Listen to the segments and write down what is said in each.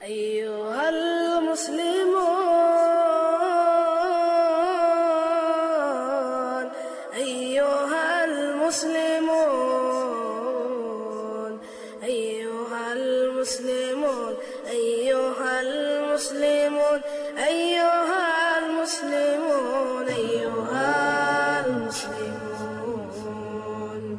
أيها المسلمون، أيها المسلمون، أيها المسلمون، أيها المسلمون، أيها المسلمون.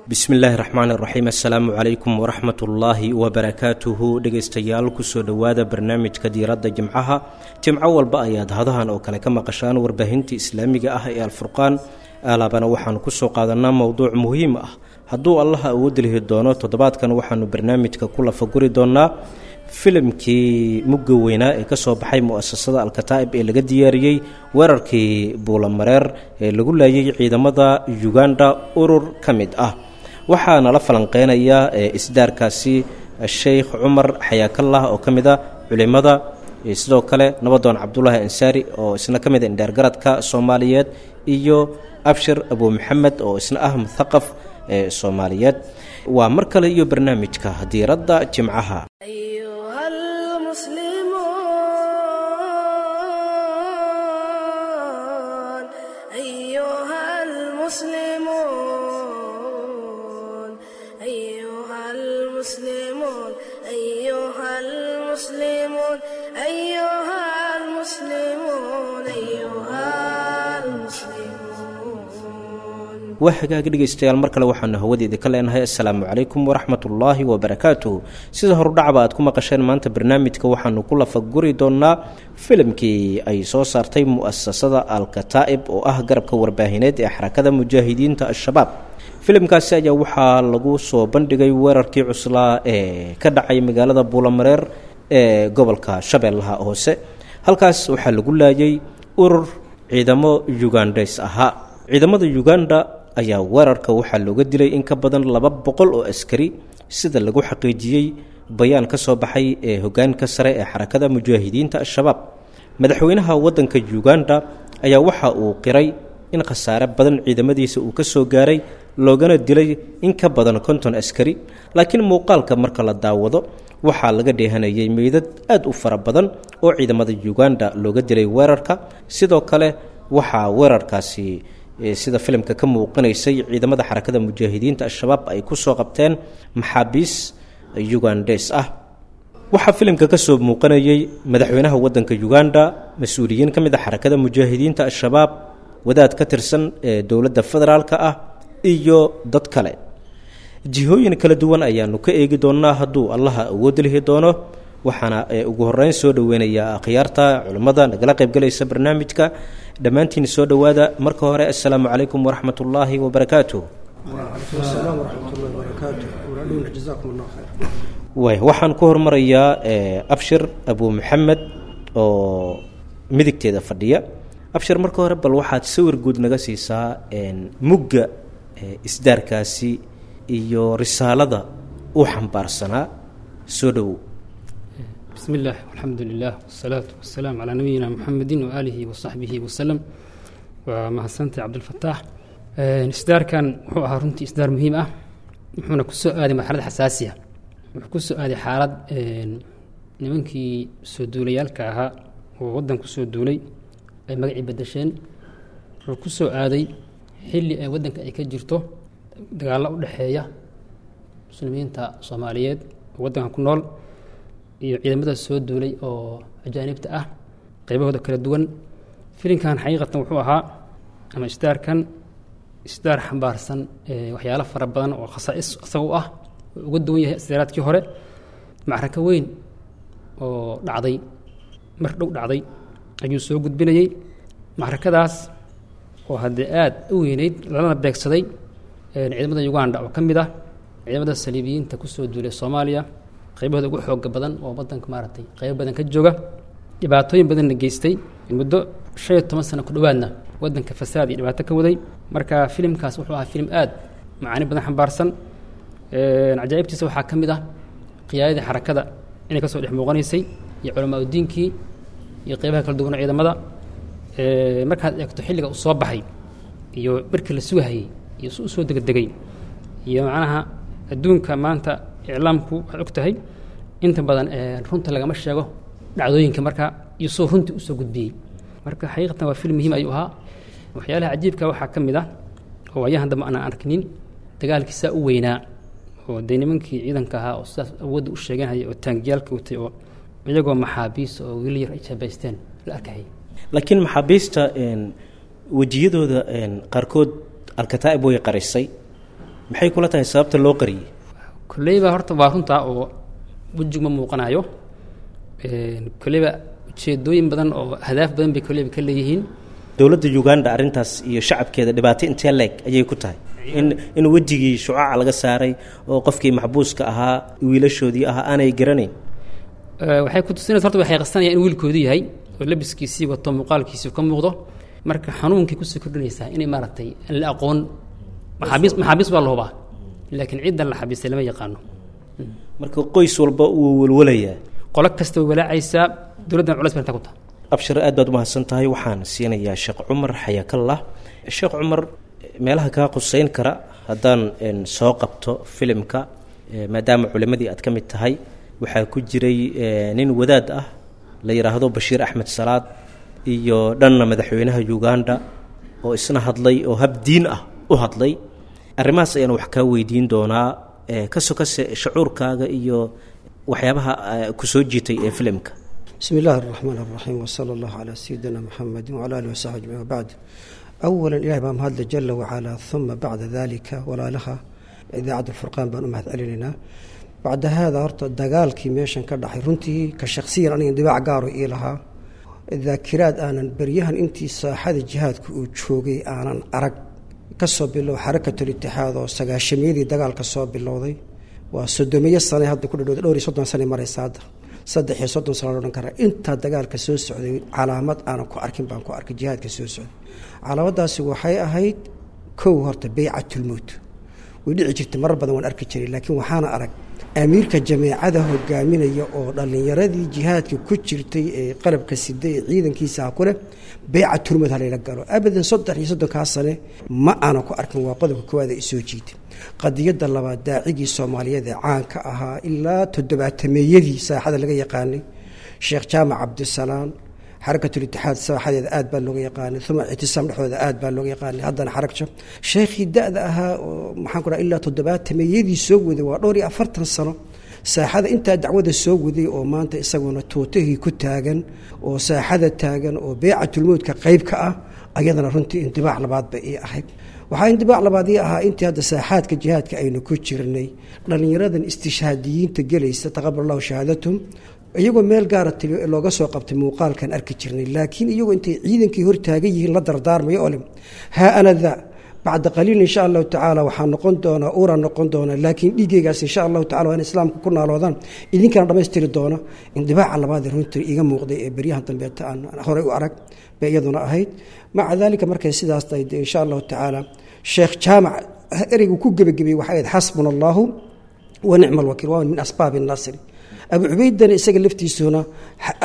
Bismillaahi raxmaan iraxiim, assalaamu calaykum waraxmatullaahi wabarakaatuhu. Dhegaystayaal, kusoo dhowaada barnaamijka diiradda jimcaha. Jimco walba ayaad hadahan oo kale ka maqashaan warbaahinta islaamiga ah ee Alfurqaan. Alaabana waxaanu kusoo qaadanaa mowduuc muhiim ah. Hadduu Allaha awood lihi doono, toddobaadkan waxaanu barnaamijka ku lafaguri doonaa filimkii mugga weynaa ee kasoo baxay mu'asasada Alkataa'ib ee laga diyaariyey weerarkii Buulamareer ee lagu laayay ciidamada Uganda urur ka mid ah. Waxaa nala falanqeynaya isdaarkaasi Sheikh Cumar Xayaakallah oo ka mid a culimada, sidoo kale Nabadoon Cabdulaahi Ansaari oo isna ka mid a indheergaradka Soomaaliyeed, iyo Abshir Abu Maxamed oo isna ah muthaqaf ee Soomaaliyeed. Waa mar kale iyo barnaamijka diiradda jimcaha. أيها المسلمون، أيها المسلمون، أيها المسلمون، أيها المسلمون، أيها المسلمون. Waa hagaag, dhegaystayaal, mar kale waxaanu hawadeeda ka leenahay assalaamu calaykum waraxmatullaahi wabarakaatuh. Sida horudhacba aad ku maqasheen, maanta barnaamijka waxaanu ku lafaguri doonaa filimkii ay soo saartay mu'asasada Alkataa'ib oo ah garabka warbaahineed ee Xarakada Mujaahidiinta Al-Shabaab. Filimkaasi ayaa waxaa lagu soo bandhigay weerarkii cuslaa ee ka dhacay magaalada Buulamareer ee gobolka Shabeellaha Hoose. Halkaas waxaa lagu laayay urur ciidamo Ugandhes ahaa. Ciidamada Uganda ayaa weerarka waxaa looga dilay in ka badan 200 oo askari, sida lagu xaqiijiyey bayaan ka soo baxay ee hogaanka sare ee Xarakada Mujaahidiinta Al-Shabaab. Madaxweynaha waddanka Uganda ayaa waxa uu qiray in khasaare badan ciidamadiisa uu ka soo gaaray, loogana dilay in ka badan 50 askari, laakiin muuqaalka marka la daawado waxaa laga dheehanayay meydad aad u fara badan oo ciidamada Uganda looga dilay weerarka. Sidoo kale waxaa weerarkaasi, sida filimka ka muuqanaysay, ciidamada Xarakada Mujaahidiinta Al-Shabaab ay ku soo qabteen maxaabiis Ugandes ah. Waxaa filimka ka soo muuqanayay madaxweynaha waddanka Uganda, mas-uuliyiin ka mid a Xarakada Mujaahidiinta Al-Shabaab, wadaad ka tirsan ee dowladda federaalka ah iyo dad kale. Jihooyin kala duwan ayaanu ka eegi doonaa hadduu Allaha awood lihi doono. Waxaana ugu horeyn soo dhoweynayaa akhyaarta culimmada nagala qaybgalaysa barnaamijka. Dhammaantiin soo dhowaada. Marka hore, assalaamu calaykum waraxmat ullaahi wabarakaatuh. وعليكم السلام ورحمة الله وبركاته ولعلونا جزاكم الله خير. Waay, waxaan ku hormarayaa Abshir Abu Maxamed oo midigteeda fadhiya. Abshir, marka hore bal waxaad sawir guud naga siisaa mugga isdaarkaasi iyo risaalada uu xambaarsanaa. Soo dhowow. بسم الله والحمد لله والصلاة والسلام على نبينا محمد وآله وصحبه وسلم. ومahadsantahay Cabdilfataax. Isdaarkan wuxuu ahaa runtii isdaar muhiim ah, wuxuuna ku soo aaday marxalad xasaasiya. Wuxuu ku soo aaday xaalad nimankii soo duulayaalka ahaa oo waddan ku soo duulay ay magacii bedesheen. Wuxuu ku soo aaday xilli ay waddanka ay ka jirto dagaallo u dhexeeya muslimiinta Soomaaliyeed oo waddanka ku nool iyo ciidamada soo duulay oo ajaanibta ah qaybahooda kala duwan. Filinkan xaqiiqatan wuxuu ahaa, ama isdaarkan, isdaar xambaarsan waxyaalo fara badan oo khasaa'is isaga u ah oo uga duwan yahay isdaaraadkii hore. Macrako weyn oo dhacday mar dhow dhacday ayuu soo gudbinayey, macrakadaas oo haddee aad u weyneyd, lalana beegsaday ciidamada Uganda oo ka mid ah ciidamada saliibiyiinta kusoo duulay Soomaaliya, qaybahooda ugu xooga badan oo waddanka maaragtay qaybo badan ka jooga, dhibaatooyin badanna geystay, muddo 15 sano ku dhowaadna waddanka fasaad iyo dhibaato ka waday. Marka filimkaas wuxuu ahaa filim aad macaani badan xambaarsan. Cajaa'ibtiisa waxaa ka mid ah qiyaadadii xarakada inay kasoo dhex muuqanaysay iyo culamaa udiinkii iyo qeybaha kala duwan oo ciidamada. Markaad eegto xilliga uu soo baxay iyo markii la sugahayey iyo si u soo degdegay iyo macnaha adduunka maanta iclaamku waxaad og tahay inta badan runta lagama sheego. Dhacdooyinka marka iyo soo runtii usoo gudbiyey. Marka xaqiiqatan waa film muhiim ayuu ahaa. Waxyaalaha cajiibka waxaa ka mid ah oo waayahan dambe aanan arkinin dagaalkiisaa u weynaa oo dee nimankii ciidanka ahaa oo sidaas awoodda u sheeganhaya oo taangiyaalka watay oo iyagoo maxaabiis oo wiil yar ay jaabaysteen la arkayay. Laakiin maxaabiista wejiyadooda qaarkood Alkataa'ib way qarisay. Maxay kula tahay sababta loo qariyey? Kolleyba horta waa runtaa oo wejigu ma muuqanayo. Kolleyba ujeedooyin badan oo ahdaaf badan bay kolleyba ka leeyihiin. Dowladda Uganda arrintaas iyo shacabkeeda dhibaato intee leeg ayay ku tahay in wejigii shucaaca laga saaray oo qofkii maxbuuska ahaa wiilashoodii ahaa aanay garanayn? Waxay ku tusinaysa horta waxay qasanayaan in wiilkoodu yahay oo labiskiisii wato, muuqaalkiisii ka muuqdo. Marka xanuunkay kusii kordhinaysaa inay maaragtay aan la aqoon maxaabiis. Maxaabiis waa la hubaa, laakiin ciddan la xabiistay lama yaqaano. Marka qoys walba wuu walwalayaa, qolo kasta way walaacaysaa, dowladdan culays bay intaa ku tahay. Abshir, aad baad umahadsan tahay. Waxaan siinayaa Sheekh Cumar xayakallah. Sheekh Cumar, meelaha kaa quseyn kara haddaan soo qabto filimka, maadaama culimmadii aad ka mid tahay, waxaa ku jiray nin wadaad ah la yidhaahdo Bashiir Axmed Salaad iyo dhanna madaxweynaha Uganda oo isna hadlay oo hab diin ah u hadlay. Arrimahaas ayaan wax kaa weydiin doonaa ka sokase shucuurkaaga iyo waxyaabaha ku soo jiitay ee filimka. بسم الله الرحمن الرحيم، وصلى الله على سيدنا محمد وعلى آله وصحبه أجمعين، وبعد. أولا إلهي baa mahadle جل وعلا، ثم بعد ذلك walaalaha idaacadda Furqaan baan u mahad celinaynaa. Bacda haada, horta dagaalkii meeshan ka dhacay runtii ka shakhsiyan aniga dibaac gaaro ii lahaa, daakiraad aanan beryahan intii saaxada jihaadka uu joogay aanan arag. Kasoo bilow Xarakatul Itixaad oo sagaashamiyadii dagaalka soo bilowday, waa 30-meeyo sane hadda ku dhadhowda, dhowr iyo soddon sane maraysa hadda, 33 sano la odhan karaa. Intaa dagaalka soo socday calaamad aanan ku arkin baan ku arkay jihaadka soo socday. Calaamadaasi waxay ahayd kow, horta beycatulmowt way dhici jirtay marar badan, waan arki jiray, laakiin waxaana arag amiirka jameecada hogaaminaya oo dhallinyaradii jihaadka ku jirtay ee qalabka siday ee ciidankiisa ah ku leh beycatulmowt halayla galo. Abadan 33-kaa sane ma aanan ku arkin. Waa qodobka koowaad ee isoo jiitay. Qadiyadda labaad, daacigii Soomaaliyeed ee caanka ahaa ilaa toddobaatameeyadii saaxada laga yaqaanay, Sheekh Jaamac Cabdisalaam, Xarakatul Itixaad saaxadeeda aad baa looga yaqaanay, uma Ictisaam dhexdooda aad baa looga yaqaanay, haddana xaragjo sheekhii da-da ahaa oo maxaan ku dhaha ilaa toddobaatameeyadii soo waday, waa dhowr iyo afartan sano saaxada intaa dacwada soo waday, oo maanta isaguna tuutihii ku taagan oo saaxada taagan oo beecatulmowdka qayb ka ah, ayadana runtii indibaac labaad bay ii ahayd. Waxaa indibaac labaad ii ahaa intii hadda saaxaadka jihaadka aynu ku jirnay dhallinyaradan istishhaadiyiinta gelaysa, taqabal allahu shahaadatum, iyagoo meel gaara tili looga soo qabtay muuqaalkan arki jirnay, laakiin iyagoo intay ciidankii hor taagan yihiin la dardaarmayo oo leh haa ana daa bacda qaliil insha allahu tacaala waxaa noqon doonaa uuraa noqon doonaa, laakiin dhiiggaygaas insha allahu tacala waa in islaamka ku naaloodaan, idinkana dhammaystiri doona. Indibaaca labaad ee runtii iiga muuqday ee beryahan dambeeta aan horey u arag bay iyaduna ahayd. Maca daalika, markay sidaas tahay dee insha allahu tacaala Sheekh Jaamac ereygu ku gebagabeeyey waxay ahayd xasbuna allahu wa nicma alwakiil, waa min asbaabi nasri. Abu Cubaydana isaga laftiisuna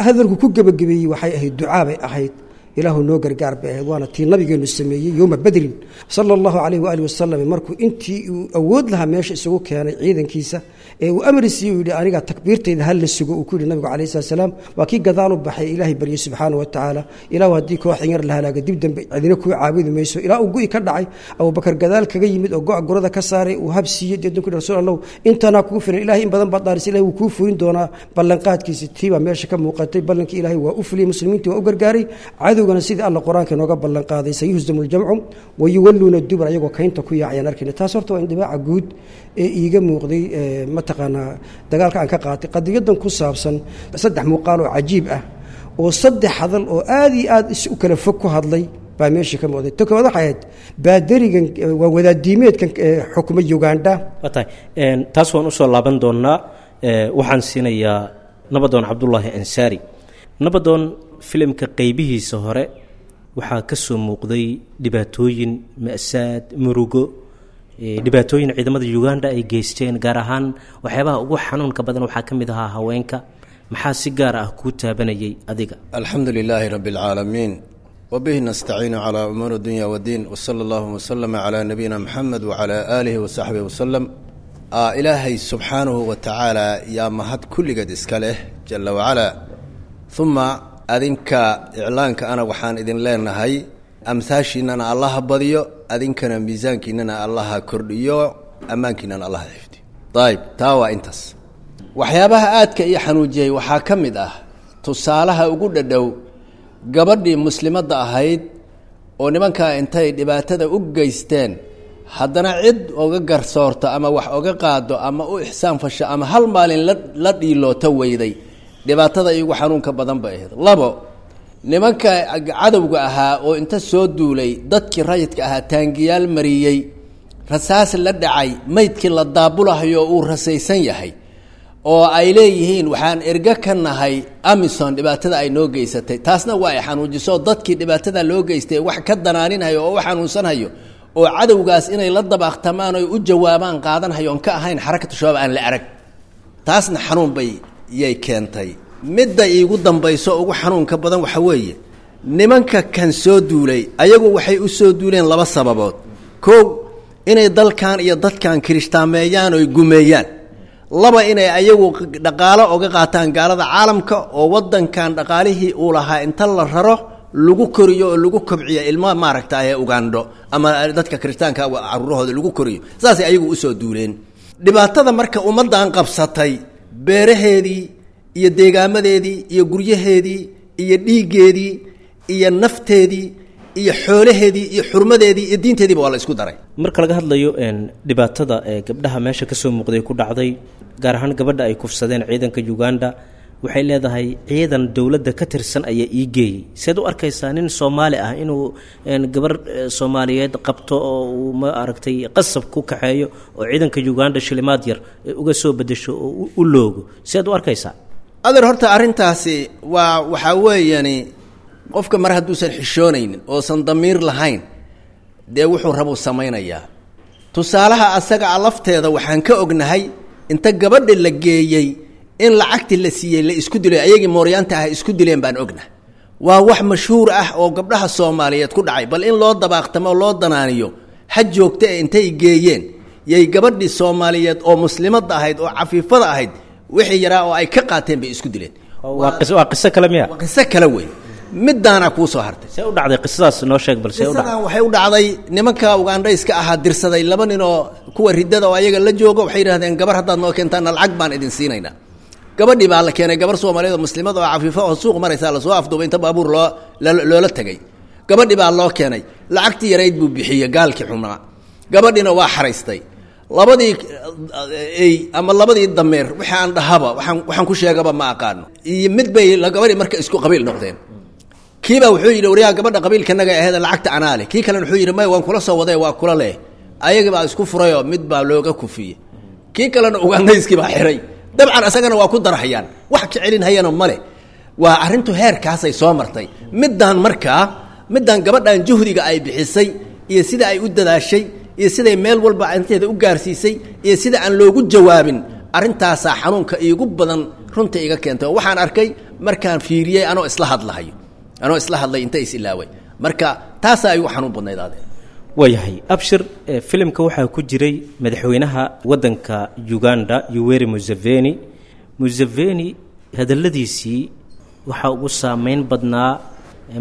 hadalku ku gebagabeeyey waxay ahayd ducaa bay ahayd, ilaahu noo gargaar bay ahayd, waana tii nabigeenu sameeyey yowma Badrin sala allahu calayhi waalihi wasalam, markuu intii uu awood lahaa meesha isugu keenay ciidankiisa ee uu amri siiyey, uu yidhi aniga takbiirtayda ha la sugo, uu ku yidhi nabigu calayhi salatu salaam, waa kii gadaal u baxay, ilaahay baryey subxaana wa tacaala, ilaahu haddii kooxdan yar la halaaga dib dambe cidina kuu caabudi mayso, ilaa uu gu'i ka dhacay, Abubakar gadaal kaga yimid oo go' gurada ka saaray, uu hab siiyey, deedna ku yidhi rasuul Allahu intanaa kugu filan, ilaahay in badan baad dhaarisay, ilahay wuu kuu fulin doonaa ballanqaadkiisa. Tii baa meesha ka muuqatay, ballankii ilaahay waa u fuliyey, muslimiintii waa u gargaaray, cadowgana sidii Alla qur-aanka inooga ballan qaaday sayuhzamu ljamcu wayuwalluuna dubur, ayagoo kaynta ku yaacayaan arkayna. Taas horta waa indibaaca guud ee iiga muuqday mataqaanaa dagaalka aan ka qaatay. Qadiyadan ku saabsan saddex muuqaal oo cajiib ah oo saddex hadal oo aad iyo aad is u kala fog ku hadlay baa meesha ka muuqday. Ta koowaad waxay ahayd baadarigan waa wadaadiimeedkan xukuma Uganda. Waa tahay, taas waan usoo laaban doonaa. Waxaan siinayaa Nabadoon Cabdullaahi Ansaari. Nabadoon, filimka qeybihiisa hore waxaa ka soo muuqday dhibaatooyin, ma'saad, murugo, dhibaatooyin ciidamada Uganda ay geysteen, gaar ahaan waxyaabaha ugu xanuunka badan waxaa ka mid ahaa haweenka. Maxaa si gaar ah kuu taabanayay adiga? Alxamdu lilaahi rabi اlcaalamiin, wbihi nastaciinu calaa umuuri dunya wdiin, wsala allahuma wslama calaa nabiyina muxamed wacalaa aalihi wasaxbihi wasalam. Ilaahay subxaanahu wa tacaala yaa mahad kulligeed iska leh jala wacalaa. Uma adinka iclaanka ana waxaan idin leenahay amhaashiinana allaha badiyo, adinkana miisaankiinana allaha kordhiyo, ammaankiinana allaha xifdiyo. Ayib, taa waa intaas. Waxyaabaha aadka ii xanuujiyey waxaa ka mid ah tusaalaha ugu dhadhow gabadhii muslimadda ahayd oo nimankaa intay dhibaatada u geysteen haddana cid oga garsoorto ama wax oga qaado ama u ixsaan fasho ama hal maalin la dhiilooto weyday. Dhibaatada iigu xanuunka badan bay ahayd. Labo, nimanka cadowga ahaa oo inta soo duulay dadkii rayidka ahaa taangiyaal mariyey, rasaas la dhacay, maydkii la daabulahayo uu rasaysan yahay oo ay leeyihiin waxaan ergo ka nahay Amison dhibaatada ay noo geysatay. Taasna waa ay xanuujiso dadkii dhibaatada loo geystay wax ka danaaninhayo oo u xanuunsanhayo oo cadowgaas inay la dabaaqtamaan oy u jawaabaan qaadanhayo oon ka ahayn Xarakatu Shabaab aan la arag. Taasna xanuun bay yay keentay. Midda iigu dambayso ugu xanuunka badan waxa weeye nimanka kan soo duulay ayagu waxay u soo duuleen laba sababood. Kow, inay dalkan iyo dadkan kirishtaameeyaan oy gumeeyaan. Laba, inay ayagu dhaqaalo oga qaataan gaalada caalamka oo waddankan dhaqaalihii uu lahaa inta la raro lagu koriyo oo lagu kobciyo ilmo maaragta ee Ugando ama dadka kirishtaanka caruurahooda lagu koriyo. Saasay ayagu usoo duuleen. Dhibaatada marka ummaddan qabsatay beeraheedii iyo deegaamadeedii iyo guryaheedii iyo dhiiggeedii iyo nafteedii iyo xoolaheedii iyo xurmadeedii iyo diinteediiba waa la isku daray. Marka laga hadlayo dhibaatada ee gabdhaha meesha kasoo muuqday ku dhacday, gaar ahaan gabadha ay kufsadeen ciidanka Uganda, waxay leedahay ciidan dowladda ka tirsan ayaa ii geeyey. Seed u arkaysaa nin Soomaali ah inuu gabar Soomaaliyeed qabto oo uu ma aragtay qasab ku kaxeeyo oo ciidanka Uganda shilimaad yar uga soo bedesho oo u loogo? Seed u arkaysaa? Adeer, horta arrintaasi waa waxaa weeyani qofka mar hadduusan xishoonaynin oosan damiir lahayn, dee wuxuu rabuu samaynayaa. Tusaalaha asaga a lafteeda waxaan ka ognahay inta gabadha la geeyey in lacagtii la siiyey la isku dilay, ayagii mooryaanta ah isku dileen baan ognahay. Waa wax mashhuur ah oo gabdhaha Soomaaliyeed ku dhacay. Bal in loo dabaaqtamo oo loo danaaniyo ha joogta ee intay geeyeen yay gabadhii Soomaaliyeed oo muslimadda ahayd oo cafiifada ahayd wixii yaraa oo ay ka qaateen bay isku dileen. Waa qiso kale miya? Waa qiso kale weyn. Midaana kuu soo hartay. See u dhacday qisadaas? Noo sheeg bal see u dhacday. Qisadan waxay u dhacday nimanka Ugandhayska ahaa dirsaday laba nin oo kuwa riddada oo ayaga la joogo. Waxay yidhahdeen gabar haddaad noo keentaan lacag baan idin siinaynaa. Gabadhii baa la keenay, gabar Soomaaliyeed oo muslimad oo cafiifo oo suuq maraysaa lasoo afduubay inta baabuur loo loola tegay. Gabadhii baa loo keenay, lacagtii yarayd buu bixiyey gaalkii xunaa, gabadhiina waa xaraystay. Labadii ey ama labadii dameer wixii aan dhahaba waxaan ku sheegaba ma aqaano iyo mid bay gabadhii marka isku qabiil noqdeen. Kiibaa wuxuu yidhi waryaha gabadha qabiilkanaga aheed lacagta anaa leh. Kii kalena wuxuu yidhi may, waan kula soo waday, waa kula leh. Ayagii baa isku furayoo mid baa looga kufiyey, kii kalena Ugandayskii baa xiray. Dabcan isagana waa ku darahayaan, wax ka celinhayana male. Waa arrintu heerkaasay soo martay. Middaan markaa middaan gabadhan juhdiga ay bixisay iyo sida ay u dadaashay iyo siday meel walba arrinteeda u gaarsiisay iyo sida aan loogu jawaabin, arrintaasaa xanuunka iigu badan runta iga keentay. Oo waxaan arkay markaan fiiriyey anoo isla hadlahayo, anoo isla hadlay inta is ilaaway. Marka taasaa igu xanuun badnayd adeer. Waayahay Abshir, filimka waxaa ku jiray madaxweynaha waddanka Uganda Yoweri Museveni. Museveni hadalladiisii waxaa ugu saameyn badnaa,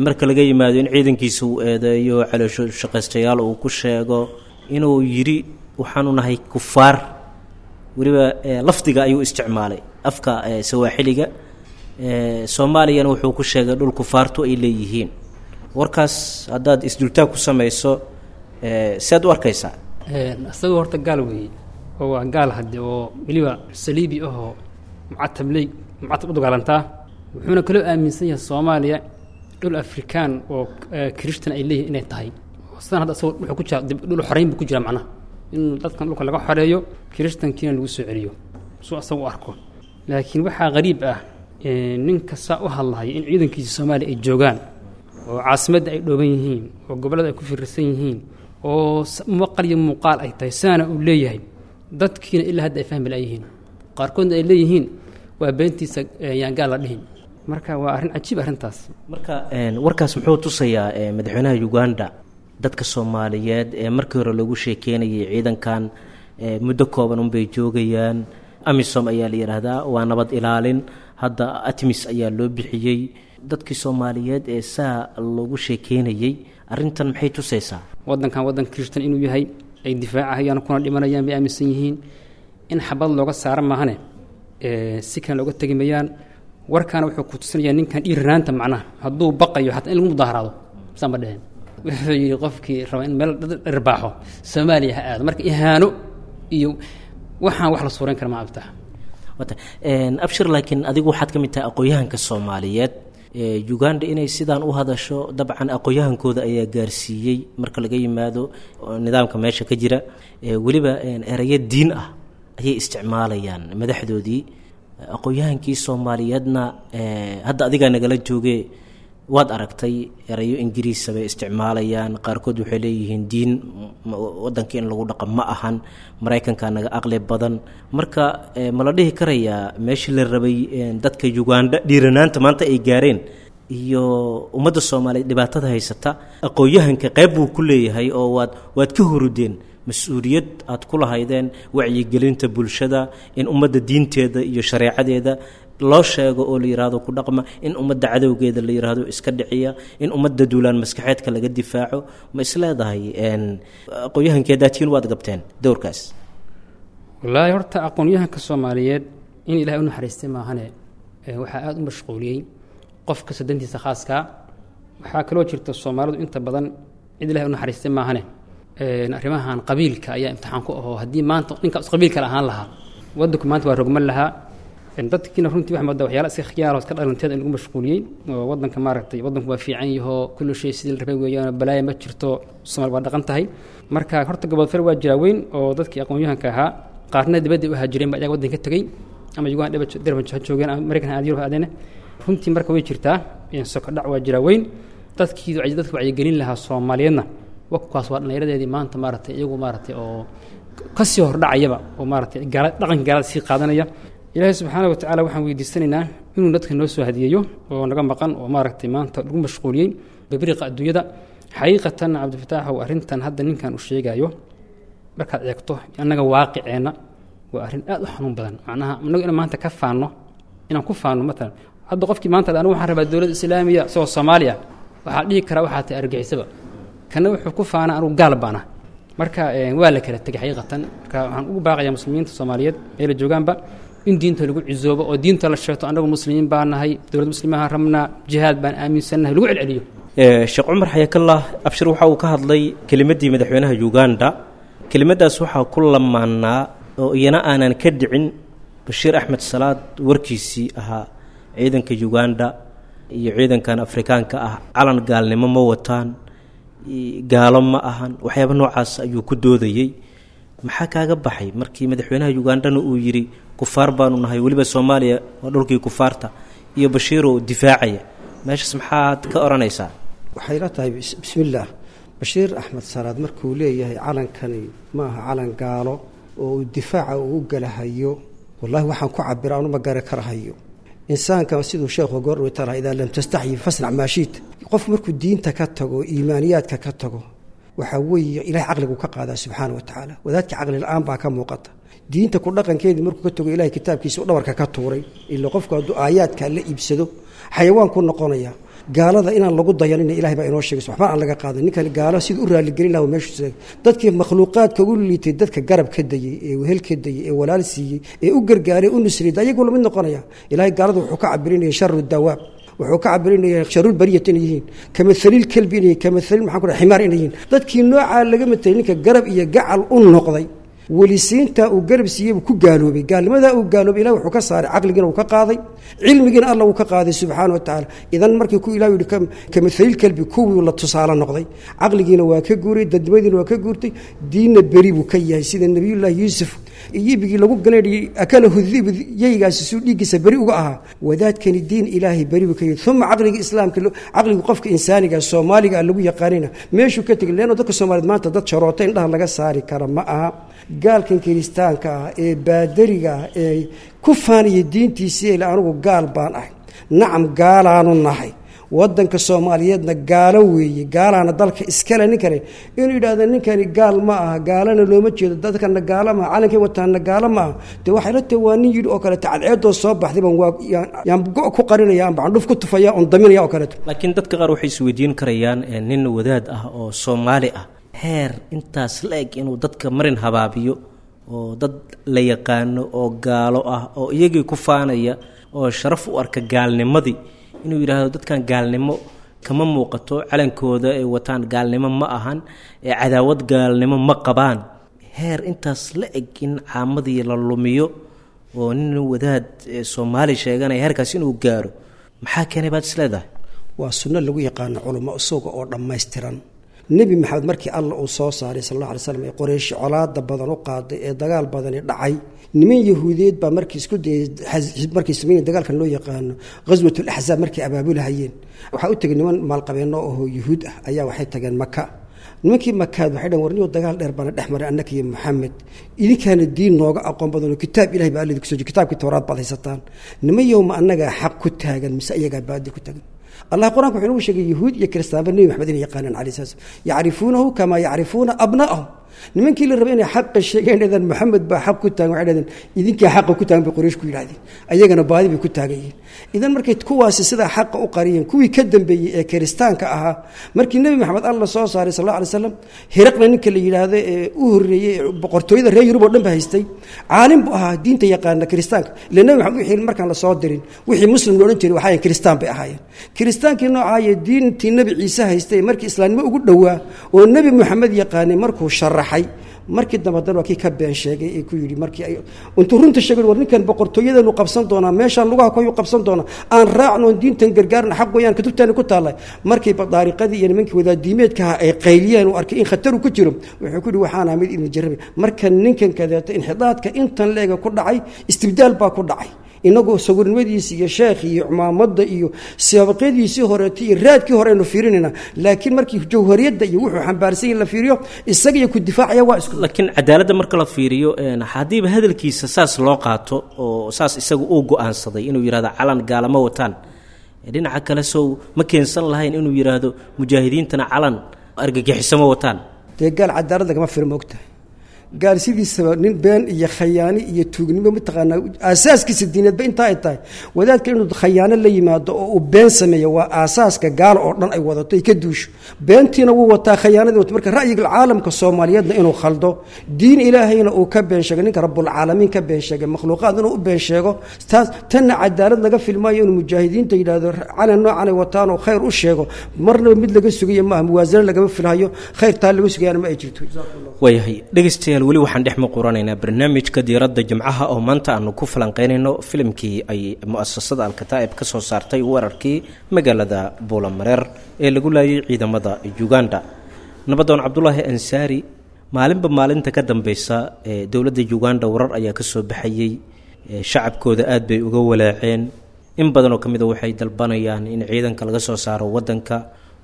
marka laga yimaado in ciidankiisa uu eedeeyo caloosho shaqaystayaal uu ku sheego, inuu yidhi waxaanu nahay kufaar. Weliba lafdiga ayuu isticmaalay afka sawaaxiliga. Soomaaliyana wuxuu ku sheegay dhul kufaartu ay leeyihiin. Warkaas haddaad isdultaag ku samayso, sead u arkaysaa? Isagoo horta gaal weeye oo waa gaal hadde oo weliba saliibi ahoo mucatabley mucatab u dagaalantaa. Wuxuuna kaloo aaminsan yahay Soomaaliya dhul Afrikaan oo Kirishtan ay leeyihin inay tahay. Sidan hadda isagoo wuxuu ku jira dhul xoreyn buu ku jira, macnaha in dadkan dhulka laga xoreeyo Kirishtankiina lagu soo celiyo suu asaga u arko. Laakiin waxaa qariib ah ninka saa u hadlahaya in ciidankiisa Soomaaliya ay joogaan oo caasimadda ay dhooban yihiin oo gobollada ay ku firirsan yihiin oo maqal iyo muuqaal ay tahay saana uu leeyahay, dadkiina ilaa hadda ay fahmi laayihiin, qaarkoodna ay leeyihiin waa beentiisa yaan gaal la dhihin. Marka waa arrin cajiib arrintaas. Marka warkaas muxuu tusayaa madaxweynaha Uganda dadka Soomaaliyeed ee markii hore loogu sheekeynayay ciidankan muddo kooban unbay joogayaan, AMISOM ayaa la yidhaahdaa, waa nabad ilaalin, Hadda ATMIS ayaa loo bixiyey. Dadkii Soomaaliyeed ee saa loogu sheekeynayey arrintan maxay tusaysaa? Waddankan waddan Kirishtan inuu yahay ay difaacahayaan kuna dhimanayaan bay aaminsan yihiin. In xabad looga saara maahane si kan looga tegi mayaan. Warkaana wuxuu ku tusinayaa ninkan dhiiranaanta, macnaha hadduu baqayo xataa in lagu mudaaharaado saan ma dheheen. Wuxuu yidhi qofkii raba in meel dad dhirbaaxo Soomaaliya ha aado. Marka ihaano iyo waxaan wax la suureyn kara ma abtaa. Wata Abshir, laakiin adigu waxaad ka mid tahay aqoon-yahanka Soomaaliyeed. Uganda inay sidaan u hadasho dabcan aqoon-yahankooda ayaa gaarsiiyey, marka laga yimaado nidaamka meesha ka jira. Weliba erayo diin ah ayay isticmaalayaan madaxdoodii. Aqoon-yahankii Soomaaliyeedna hadda adigaa nagala jooge, waad aragtay erayo Ingiriisa bay isticmaalayaan. Qaarkood waxay leeyihiin diin waddanka in lagu dhaqo ma ahan, Maraykanka naga aqli badan. Marka ma la dhihi karayaa meeshii la rabay dadka Uganda dhiiranaanta maanta ay gaareen iyo ummadda Soomaaliyeed dhibaatada haysata aqoon-yahanka qayb buu ku leeyahay, oo waad ka hurudeen mas-uuliyad aad ku lahaydeen wacyigelinta bulshada, in ummadda diinteeda iyo shareecadeeda loo sheego oo la yidhaahdo ku dhaqma, in ummadda cadowgeeda la yidhaahdo iska dhiciya, in ummadda duulaan maskaxeedka laga difaaco? Ma isleedahay aqoon-yahankeedaatiin waad gabteen dowrkaas? Wallaahi horta aqoon-yahanka Soomaaliyeed in Ilahay u naxariistay maahane, waxaa aada u mashquuliyey qof kasta dantiisa khaaskaa. Waxaa kaloo jirta Soomaalidu inta badan cid Ilahay u naxariistay maahane arrimahan qabiilka ayaa imtixaan ku ahoo. Haddii maanta ninkaas qabiil kale ahaan lahaa, waddanku maanta waa rogman lahaa. Dadkiina runtii waxa moodaa waxyaala iska khiyaar oo iska dhalanteed in lagu mashquuliyey oo waddanka maaragtay waddanku waa fiican yahoo, kullu shay sidii la rabay weeyaan, balaaya ma jirto, Soomaali waa dhaqan tahay. Marka horta gobodfal waa jiraa weyn oo dadkii aqoon-yahanka ahaa qaarna dibadda u haajireen ba iyaga waddanka ka tegey, ama Uganda darban ha joogeen ama Maraykan ha Yurub ha aadeen. Runtii marka way jirtaa sokodhac waa jiraa weyn. Dadkii dadka wacyigelin lahaa Soomaaliyeedna wakaas waa dhallinyaradeedii maanta maaragtay iyagu maaragtay oo kasii hordhacayaba oo maaragtay gaala dhaqanka gaalada sii qaadanaya. Ilaahay subxaana wa tacaala waxaan weydiisanaynaa inuu dadka noo soo hadiyeeyo oo naga maqan oo maaragtay maanta lagu mashquuliyey babriiqa adduunyada. Xaqiiqatan Cabdifataaxow, arrintan hadda ninkan uu sheegayo markaad eegto annaga waaqiceenna waa arrin aad u xanuun badan. Macnaha annagu inaan maanta ka faanno, inaan ku faanno matalan hadda qofkii maanta anigu waxaan rabaa dowladda islaamiya isagoo Soomaaliya, waxaa dhihi karaa waxaa tahay argixisaba. Kana wuxuu ku faanaa anugu gaal baana. Marka waa la kala tegay xaqiiqatan. Marka waxaan ugu baaqayaa muslimiinta Soomaaliyeed meela joogaanba in diinta lagu cizoobo oo diinta la sheegto, annagu muslimiin baa nahay, dowlad muslimaha rabnaa, jihaad baan aaminsannahay, lagu celceliyo. Sheekh Cumar Xayakallah, Abshir waxa uu ka hadlay kelimaddii madaxweynaha Uganda. Kelimaddaas waxaa ku lamaanaa oo iyana aanan ka dhicin Bashiir Axmed Salaad warkiisii ahaa ciidanka Uganda iyo ciidankan Afrikaanka ah calan gaalnimo ma wataan, gaalo ma ahan, waxyaaba noocaas ayuu ku doodayey. Maxaa kaaga baxay markii madaxweynaha Ugandana uu yidhi kufaar baanu nahay, weliba Soomaaliya waa dhulkii kufaarta, iyo Bashiiroo difaacaya meeshaas? Maxaad ka odhanaysaa? Waxay la tahay bismillaah, Bashiir Axmed Salaad markuu leeyahay calankani ma aha calan gaalo oo uu difaaca uu u galahayo, wallahi waxaan ku cabira anuma gari karahayo. Insaanka siduu sheekhu goordhow tala, idaa lam tastaxyi fasnac maashiit. Qof markuu diinta ka tago, iimaaniyaadka ka tago, waxaa weeye ilahay caqligu ka qaadaa subxaana wa tacaala. Wadaadka caqli la-aan baa ka muuqata. Diinta ku dhaqankeedii markuu ka tago, ilahay kitaabkiisa u dhabarka ka tuuray. Ila qofku hadduu aayaadka la iibsado xayawaan ku noqonaya. Gaalada inaan lagu dayanina ilahay baa inoo sheegay, waxba aan laga qaadan. Ninkan gaalo siduu u raaligelin lahaa meeshu dadkii makhluuqaadka ugu liitay, dadka garab ka dayey ee wehel ka dayey ee walaal siiyey ee u gargaaray u nusriyay, ayagoo lamid noqonaya. Ilahay gaalada wuxuu ka cabirinaya sharu dawaab, wuxuu ka cabirinaya sharul bariyat inay yihiin, kamathaliil kelbi inay yihiin, kamathaliil maxaan ku dhahay ximaar inay yihiin. Dadkii noocaa laga matelay ninka garab iyo gacal u noqday, welisiinta uu garab siiyey buu ku gaaloobay. Gaalnimadaa uu gaaloobay ilahi wuxuu ka saaray caqligiina uu ka qaaday, cilmigiina Alla uu ka qaaday subxaana wa tacaala. Idan markii ku ilah yidhi kamathaliil kelbi, kuwii la tusaale noqday caqligiina waa ka guuray, dadnimadiina waa ka guurtay, diinna beri buu ka yahay. Sida Nabiyullaahi Yuusuf yibigii lagu ganadhiyey akalahu dib, yaygaasi suu dhiiggiisa beri uga ahaa, wadaadkani diin ilaahay beri buu ka yahay. Uma caqliga islaamka, caqliga qofka insaaniga Soomaaliga lagu yaqaanina meeshuu ka tegay, leanno dadka Soomaaliyeed maanta dad sharoota indhaha laga saari kara ma aha. Gaalkan kiristaanka ah ee baadariga ah ee ku faanaya diintiisii ele anigu gaal baan ahay, nacam gaalaanu nahay, Wadanka Soomaaliyeedna gaalo weeye, gaalaana dalka iskale. Ninkani inuu yidhaahdo ninkani gaal ma aha, gaalana looma jeedo, dadkana gaalo maaha, calankay wataana gaalo ma aha, dee waxay la tahay waa nin yidhi oo kaleeto cadceedoo soo baxday baan waa yaan go' ku qarinaya amba candhuf ku tufaya oon daminaya oo kaleeto. Laakiin dadka qaar waxay isweydiin karayaan nin wadaad ah oo Soomaali ah heer intaas la eg inuu dadka marin habaabiyo oo dad la yaqaano oo gaalo ah oo iyagii ku faanaya oo sharaf u arka gaalnimadii, inuu yidhaahdo dadkan gaalnimo kama muuqato, calankooda ay wataan gaalnimo ma ahan, ee cadaawad gaalnimo ma qabaan, heer intaas la eg in caamadii la lumiyo oo nin wadaad Soomaali sheeganaya heerkaas inuu gaaro, maxaa keenay baad is leedahay? Waa sunno lagu yaqaano culamo isaga oo dhammaystiran. Nebi Maxamed markii Alla uu soo saaray sal alla alay slam ee Qoreyshi colaada badan u qaaday ee dagaal badani dhacay, niman Yahuudiyeed baa markii isku dayay, markay sameynay dagaalkan loo yaqaano Ghaswatul Axzaab, markay abaabulahayeen, waxaa u tegay niman maalqabeenno oo Yuhuud ah ayaa waxay tageen Maka. Nimankii Makaad waxay dhaheen, warniyo dagaal dheer baana dhex maray annaka iyo Maxamed, idinkaana diin nooga aqoon badan oo kitaab Ilahay baa Alla idinku soo jiray, kitaabkii Towraad baad haysataan, niman yowma annagaa xaq ku taagan mise iyagaa baadi ku taagan? Allah qur-aanka wuxuu inagu sheegay Yahuud iyo Kiristaanba Nebi Maxamed inay yaqaanaan calayhi salaam, yacrifuunahu kamaa yacrifuuna abna'ahum. Nimankii la rabay inay xaqa sheegeen dhahdeen Maxamed baa xaq ku taagan, waxay dhahdeen idinkaa xaqa ku taagan bay Quraysh ku yidhahdeen, ayagana baadi bay ku taagan yihiin. Idan markay kuwaasi sidaa xaqa u qariyeen, kuwii ka dambeeyey ee Kiristaanka ahaa markii Nebi Maxamed Alla soo saaray sal alla alay slam, Hiraqna ninka la yidhaahdo ee u horreeyey ee boqortooyada reer Yurub oo dhan ba haystay, caalim buu ahaa diinta yaqaana Kiristaanka, ila Nebi Maxamed wixii markaan la soo dirin wixii muslim la odhan jiray waxayan Kiristaan bay ahaayeen. Kiristaankii noocaaye diintii Nebi Ciise haystay markii islaamnimo ugu dhowaa oo Nebi Maxamed yaqaanay, markuu sharaxay markii dambe haddana waa kii ka been sheegay ee ku yidhi, markii ay intuu runta sheegay, war ninkan boqortooyadanu qabsan doonaa, meeshaan lugaha ku qabsan doonaa, aan raacno oon diintan gargaarna, xaq weeyaan kutubtaani ku taallay. Markii badaariqadii iyo nimankii wadaadiimeedkaha ay qayliyeen uu arkay in khataru ku jiro, wuxuu ku yidhi waxaan ahaa mid idin jarrabay. Marka ninkan kadeeto inxidaadka intan leega ku dhacay, istibdaal baa ku dhacay, inagoo sawirnimadiisi iyo sheekh iyo cumaamadda iyo saabaqyadiisii horeetay iyo raadkii hore aynu fiirinayna, laakiin markii jawhariyadda iyo wuxuu xambaarsan yahay la fiiriyo, isaga iyo ku difaacaya waa isku. Laakiin cadaaladda marka la fiiriyo, haddiiba hadalkiisa saas loo qaato oo saas isagu uu go-aansaday inuu yidhahdo calan gaalama wataan, dhinaca kale sow ma keensan lahayn inuu yidhaahdo mujaahidiintana calan argagixiso ma wataan? Dee gaal cadaalad lagama firo, ma ogtahay? Gaal sidiisaba nin been iyo khayaani iyo tuugnimo mataqaanaa aasaaskiisa diineedba intaa ay tahay. Wadaadka inuu khayaano la yimaado oo uu been sameeyo waa aasaaska gaalo oo dhan ay wadato ay ka duusho. Beentiina wuu wataa, khayaanadii wata. Marka ra'yiga caalamka Soomaaliyeedna inuu khaldo, diin Ilaahayna uu ka been sheegay, ninka Rabbulcaalamiin ka been sheegay, makhluuqaad inuu u been sheego, taas tanna cadaalad laga filmaayo. Inuu mujaahidiinta yidhaahdo calan noocan ay wataan oo khayr u sheego marnaba mid laga sugayo maaha, muwaasano lagama filhayo, khayr taa laga sugayaana ma ay jirto. Waayahay dhegeystayaal, weli waxaan dhex muquranaynaa barnaamijka diiradda Jimcaha oo maanta aanu ku falanqeynayno filimkii ay mu'asasada Alkataa'ib ka soo saartay weerarkii magaalada Buulamareer ee lagu laayay ciidamada Uganda. Nabadoon Cabdulaahi Ansaari, maalinba maalinta ka dambeysa ee dowladda Uganda warar ayaa ka soo baxayey, shacabkooda aad bay uga walaaceen, in badan oo ka mid a waxay dalbanayaan in ciidanka laga soo saaro waddanka.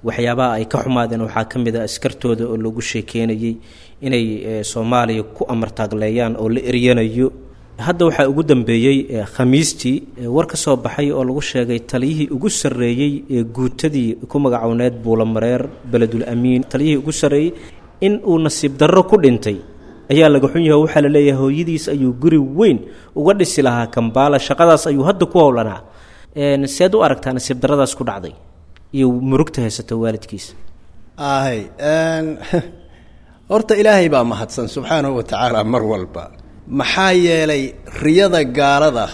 Waxyaabaha ay ka xumaadeen waxaa ka mid a askartooda oo lagu sheekeynayey inay Soomaaliya ku amartaagleeyaan oo la eryanayo. Hadda waxaa ugu dambeeyey Khamiistii war ka soo baxay oo lagu sheegay taliyihii ugu sarreeyey ee guutadii ku magacowneed Buulamareer Beledul Amiin, taliyihii ugu sarreeyey in uu nasiib darro ku dhintay ayaa laga xun yahay. Waxaa la leeyahay hooyadiis ayuu guri weyn uga dhisi lahaa Kambaala, shaqadaas ayuu hadda ku howlanaa. Seed u aragtaa nasiib darradaas ku dhacday iyo murugta haysata waalidkiisa? Ahay, horta Ilaahay baa mahadsan subxaanahu wa tacaala mar walba, maxaa yeelay riyada gaalada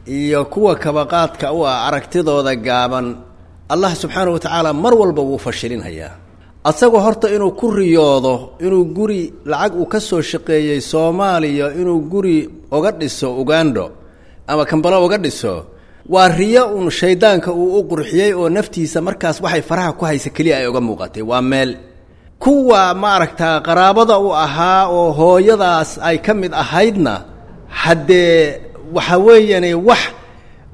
iyo kuwa kabaqaadka u ah aragtidooda gaaban Allah subxaanahu wa tacaala mar walba wuu fashilinhayaa. Asagoo horta inuu ku riyoodo inuu guri lacag uu ka soo shaqeeyey Soomaaliya inuu guri uga dhiso Ugando ama Kambalo uga dhiso, waa riyo uun shaydaanka uu u qurxiyey oo naftiisa markaas waxay faraha ku haysa keliya ay uga muuqatay. Waa meel kuwa maaragtaa qaraabada u ahaa oo hooyadaas ay ka mid ahaydna, haddee waxa weeyani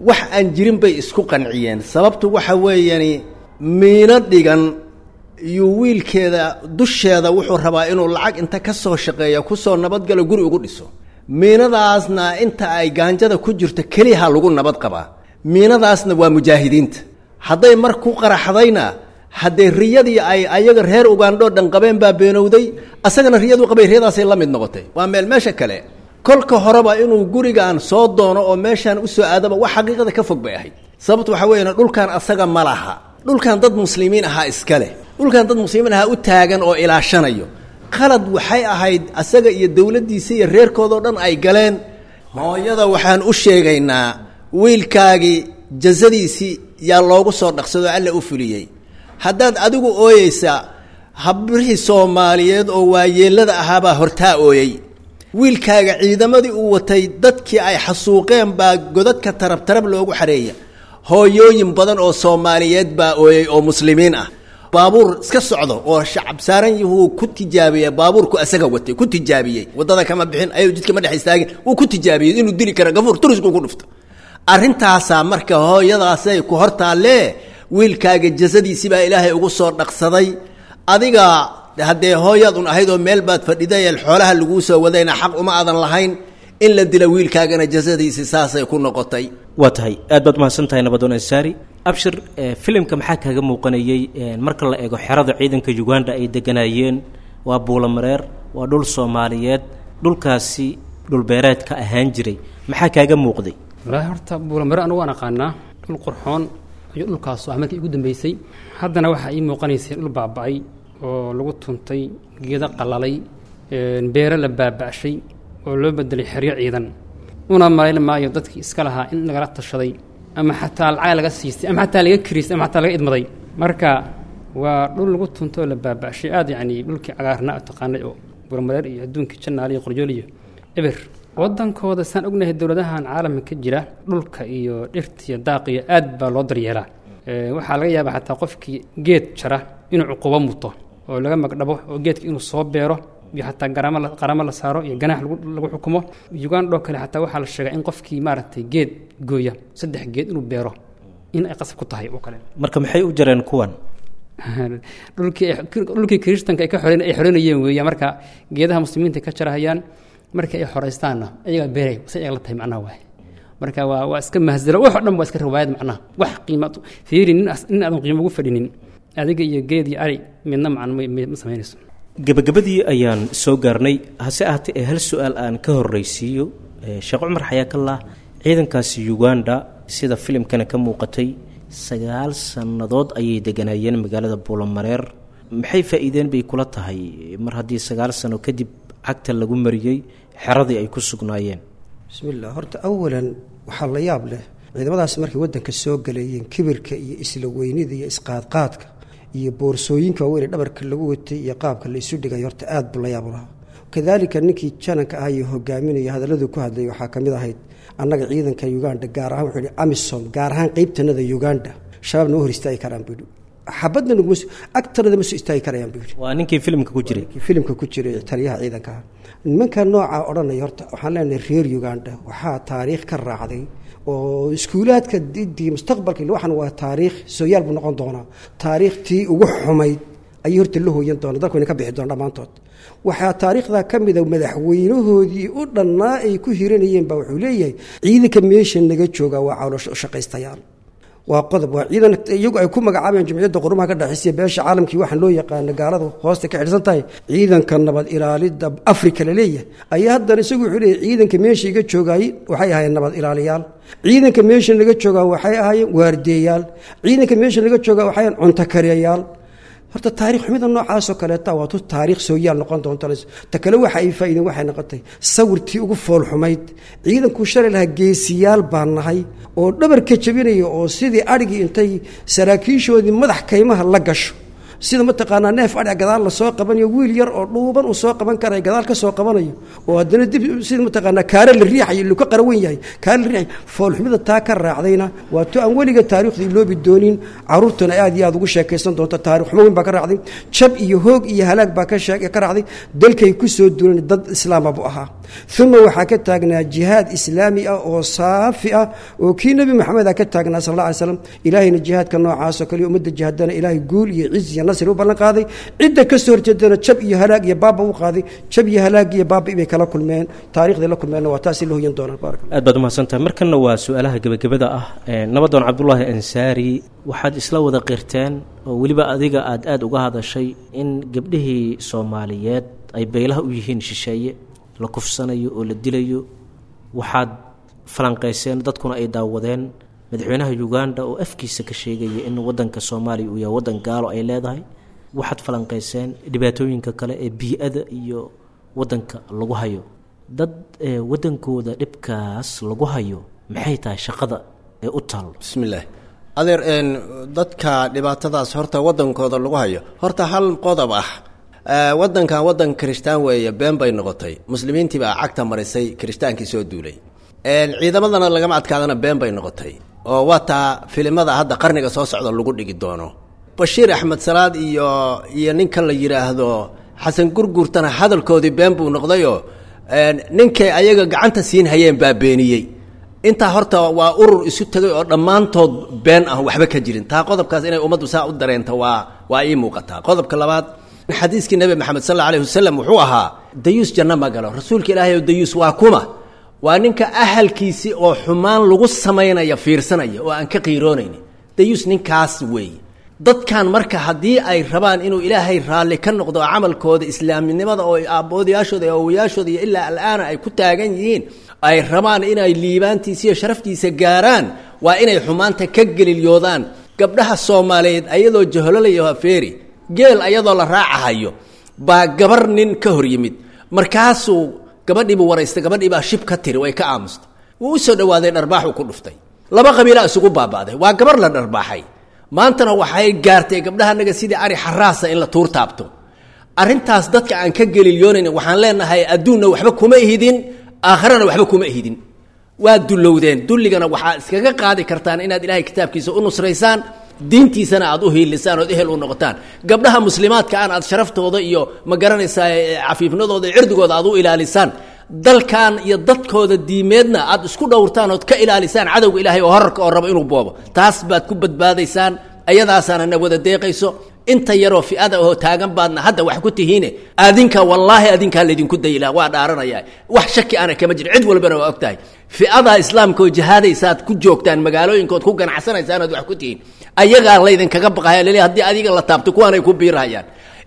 wax aan jirin bay isku qanciyeen. Sababtu waxa weeyani miino dhigan iyo wiilkeeda dusheeda wuxuu rabaa inuu lacag inta ka soo shaqeeya kusoo nabadgalo guri ugu dhiso. Miinadaasna inta ay gaanjada ku jirto keliyaha lagu nabad qabaa, miinadaasna waa mujaahidiinta. Hadday mar ku qaraxdayna, haddee riyadii ay ayaga reer Ugandhoo dhan qabeen baa beenowday, asagana riyadu qabay riyadaasay la mid noqotay. Waa meel meesha kale. Kolka horeba inuu gurigaan soo doono oo meeshaan usoo aadaba wax xaqiiqada ka fog bay ahayd. Sababtu waxaa weeyaan, dhulkan asaga ma laha, dhulkan dad muslimiin ahaa iska leh, dhulkan dad muslimiin ahaa u taagan oo ilaashanayo. Qalad waxay ahayd asaga iyo dowladdiisa iyo reerkoodao dhan ay galeen. Hooyada waxaan u sheegaynaa, wiilkaagii jazadiisii yaa loogu soo dhaqsado, Alla u fuliyey. Haddaad adigu ooyeysaa, habrihii Soomaaliyeed oo waayeelada ahaabaa hortaa ooyey. Wiilkaaga ciidamadii uu watay dadkii ay xasuuqeen baa godadka tarab tarab loogu xareeya. Hooyooyin badan oo Soomaaliyeed baa ooyey oo muslimiin ah. Baabuur iska socdo oo shacab saaran yuhuu ku tijaabiyey, baabuurku asaga watay ku tijaabiyey. Waddada kama bixin, ayuu jidka ma dhex istaagin, wuu ku tijaabiyey inuu dili kara, gafuur turisku ku dhufto. Arrintaasaa marka hooyadaasay ku hortaalee, wiilkaaga jasadiisii baa Ilaahay ugu soo dhaqsaday. Adiga haddee hooyaad un ahayd oo meel baad fadhiday, xoolaha laguu soo wadayna xaq uma aadan lahayn in la dila wiilkaagana, jasadiisii saasay ku noqotay. Waa tahay, aad baad mahadsan tahay Nabadoon Ansaari Abshir. Filimka maxaa kaaga muuqanayey marka la eego xerada ciidanka Uganda ay deganaayeen? Waa Buulamareer, waa dhul Soomaaliyeed, dhulkaasi dhulbeereedka ahaan jiray, maxaa kaaga muuqday? Walaahi horta Buulamare anugu waan aqaanaa, dhul qurxoon ayuu dhulkaasu ah markii igu dambeysay. Haddana waxaa ii muuqanaysay dhul baaba'ay oo lagu tuntay, geedo qalalay, beero la baaba'shay oo loo bedelay xeryo ciidan. Una malayn maayo dadkii iska lahaa in lagala tashaday ama xataa lacag laga siistay ama xataa laga kiriistay ama xataa laga idmaday. Marka waa dhul lagu tunto oo la baaba'shay aad, yacni dhulkii cagaarnaa taqaanay oo Buurmareer iyo adduunkii Jannaale iyo Qorjool iyo eber waddankooda. Saan ognahay dowladahan caalamka ka jira, dhulka iyo dhirta iyo daaqiyo aad baa loo daryeelaa. Waxaa laga yaabaa xataa qofkii geed jara inuu cuqubo muto oo laga magdhabo oo geedka inuu soo beero iyo xataa garaamo la saaro iyo ganaax lagu xukumo. Uganda oo kale xataa waxaa la sheegaa in qofkii maaragtay geed gooya 3 geed inuu beero in ay qasab ku tahay oo kale. Marka maxay u jareen kuwan? Dhulkii kiristanka ay ka xoreen ay xoreynayeen weeya. Marka geedaha muslimiinta ka jarahayaan, marka ay xoreystaanna ayagaa beeray, say ayaga la tahay macnaha waay. Marka waa iska mahsalo, wax oo dhan waa iska riwaayad macnaha. Wax qiima fiiri, nin aadan qiimo ugu fadhinin adiga iyo geed iyo ari midna macna ma samaynayso. Gabagabadii ayaan soo gaarnay, hase ahaatee ee hal su-aal aan ka horreysiiyo Sheekh Cumar Xayaakallah. Ciidankaasi Uganda sida filimkana ka muuqatay 9 sannadood ayay deganaayeen magaalada Buulamareer. Maxay faa'iideen bay kula tahay mar haddii 9 sano kadib cagta lagu mariyey xeradii ay ku sugnaayeen? Bismi llah. Horta awalan waxaa la yaab leh ciidamadaas markay waddanka soo galayeen, kibirka iyo isla weynida iyo isqaadqaadka iyo boorsooyinka waaweyn ee dhabarka lagu watay iyo qaabka la isu dhigay, horta aad buu la yaab u lahaa. Kadaalika ninkii jananka ah iyo hogaaminaya hadalladuu ku hadlayay waxaa ka mid ahayd, annaga ciidanka Uganda gaar ahaan, wuxuu yihi AMISOM gaar ahaan qeybtanada Uganda, shabaabna ma hor istaagi karaan buu yidhi, xabadna naguma agtanada ma soo istaagi karayaan buu yidhi. Waa ninkii filimka ku jiray. Ninkii filimka ku jiray, taliyaha ciidanka ah. Nimanka noocaa odhanaya, horta waxaan leenahay reer Uganda waxaa taariikh ka raacday oo iskuulaadka didii mustaqbalka, waxan waa taariikh sooyaal buu noqon doonaa. Taariikhtii ugu xumayd ayay horta la hooyan doona, dalku ina ka bixi doona dhammaantood. Waxaa taariikhdaa ka mida madaxweynahoodii u dhannaa ay ku hiranayeen baa wuxuu leeyahay ciidanka meesha naga jooga waa caloosha ushaqaystayaal. Waa qodob, waa ciidan iyagu ay ku magacaabayaan Jumciyadda Qurumaha ka dhexaysiya beesha caalamkii, waxaan loo yaqaano gaalada hoosta ka xidhsan tahay, ciidanka nabad ilaalidda Afrika la leeyahay. Ayaa haddana isagu wuxuu leeyahay ciidanka meesha iga joogaayey waxay ahaayeen nabad ilaaliyaal, ciidanka meesha naga joogaa waxay ahaayeen waardeeyaal, ciidanka meesha naga joogaa waxay ahaayeen cunto kariyayaal. Horta taarikh xumida noocaasoo kaleeta waa tu taariikh sooyaal noqon doonta. Ta kale waxa ay faa'iideen waxay noqotay sawirtii ugu foolxumayd. Ciidankuu shalay lahaa geesiyaal baan nahay oo dhabarka jabinaya oo sidii adhigii intay saraakiishoodii madax kaymaha la gasho, sida mataqaanaa neef adhiga gadaal lasoo qabanayo, wiil yar oo dhuuban uu soo qaban karayo gadaal ka soo qabanayo, oo haddana dib sida mataqaanaa kaare la riixayo ilu ka qarawan yahay kaare la riixayo. Foolxumida taa ka raacdayna waa tu aan weliga taariikhda iloobi doonin, carruurtuna aad iyo aad ugu sheekaysan doonto. Taarikh xumo weyn baa ka raacday, jab iyo hoog iyo halaag baa ka raacday. Dalkay ku soo duulan dad islaama buu ahaa. Uma waxaa ka taagnaa jihaad islaami ah oo saafi ah oo kii Nebi Maxamed a ka taagnaa sal alla alay slam. Ilaahayna jihaadka noocaasoo kale ummadda jihaadana Ilaahay guul iyo ciz iyo nasri u ballan qaaday, cidda ka soo horjeedana jab iyo halaag iyo baaba u qaaday. Jab iyo halaag iyo baaba bay kala kulmeen, taarikhday la kulmeenna waa taasi la hoyan doonaan. Barak. Aad baad umahadsantahay. Markanna waa su-aalaha gebagabada ah. Nabadoon Cabdulaahi Ansaari, waxaad isla wada qirteen oo weliba adiga aad aada uga hadashay in gabdhihii Soomaaliyeed ay beylaha u yihiin shisheeye, la kufsanayo oo la dilayo. Waxaad falanqayseen, dadkuna ay daawadeen, madaxweynaha Uganda oo afkiisa ka sheegaya in wadanka Soomaaliya uu yahay wadan gaalo ay leedahay. Waxaad falanqayseen dhibaatooyinka kale ee bii-ada iyo wadanka lagu hayo. Dad wadankooda dhibkaas lagu hayo, maxay tahay shaqada ee u taal? Bismillaah. Adeer, dadka dhibaatadaas horta wadankooda lagu hayo, horta hal qodob ah, wadankan wadan kirishtaan weeye been bay noqotay. Muslimiintii baa cagta marisay kirishtaankii soo duulay. Ciidamadana lagama adkaadana been bay noqotay, oo waa taa filimada hadda qarniga soo socda lagu dhigi doono. Bashiir Axmed Salaad iyo ninka la yidhaahdo Xasan Gurgurtana hadalkoodii been buu noqdayoo ninkay ayaga gacanta siin hayeen baa beeniyey. Intaa horta waa urur isu tegay oo dhammaantood been ah, waxba ka jirin. Taa qodobkaas inay ummaddu saa u dareento waa ii muuqataa. Qodobka labaad, xadiiskii Nebi Maxamed sal alla alayhi wasalam wuxuu ahaa dayuus janno ma galo. Rasuulka Ilaahay oo dayuus waa kuma? Waa ninka ahalkiisii oo xumaan lagu samaynaya fiirsanaya oo aan ka qiiroonaynin. Dayuus ninkaas weeye. Dadkan marka haddii ay rabaan inuu Ilaahay raalli ka noqdo camalkooda islaaminimada oo aaboodayaashooda iyo awowayaashooda iyo ilaa al'aana ay ku taagan yihiin, ay rabaan inay liibaantiisa iyo sharaftiisa gaaraan, waa inay xumaanta ka gelilyoodaan. Gabdhaha Soomaaliyeed ayadoo jahololayo afeeri geel ayadoo la raacahayo baa gabar nin ka hor yimid, markaasuu gabadhiibuu waraystay, gabadhiibaa shib ka tiri, way ka aamustay. Wuu u soo dhawaaday, dharbaaxuu ku dhuftay, laba qabiilaa isugu baaba'day. Waa gabar la dharbaaxay. Maantana waxay gaartay gabdhahanaga sidii ari xaraasa in la tuur taabto. Arrintaas dadka aan ka gelilyoonayna waxaan leenahay, adduunna waxba kuma ihidin, aakharana waxba kuma ihidin, waa dullowdeen. Dulligana waxaa iskaga qaadi kartaan inaad Ilaahay kitaabkiisa u nusraysaan, diintiisana aad u hiilisaan ood ehel u noqotaan, gabdhaha muslimaadka aan aad sharaftooda iyo ma garanaysaa cafiifnadooda iyo cirdigooda aad u ilaalisaan, dalkan iyo dadkooda diimeedna aad isku dhowrtaan ood ka ilaalisaan cadowga Ilaahay oo horarka oo rabo inuu boobo. Taas baad ku badbaadaysaan, ayadaasaana na wada deeqayso. Inta yaroo fi'ada oo taagan baadna hadda wax ku tihiine, adinka wallaahi adinkaa laydinku dayila, waa dhaaranayaa, wax shaki ana kama jiro, cid walbana waa og tahay. Fi'ada islaamka oo jihaadaysaad ku joogtaan magaalooyinkood ku ganacsanaysaan ood wax ku tihiin, ayagaa laydinkaga baqaya lele haddii adiga la taabto kuwaanay ku biirahayaan.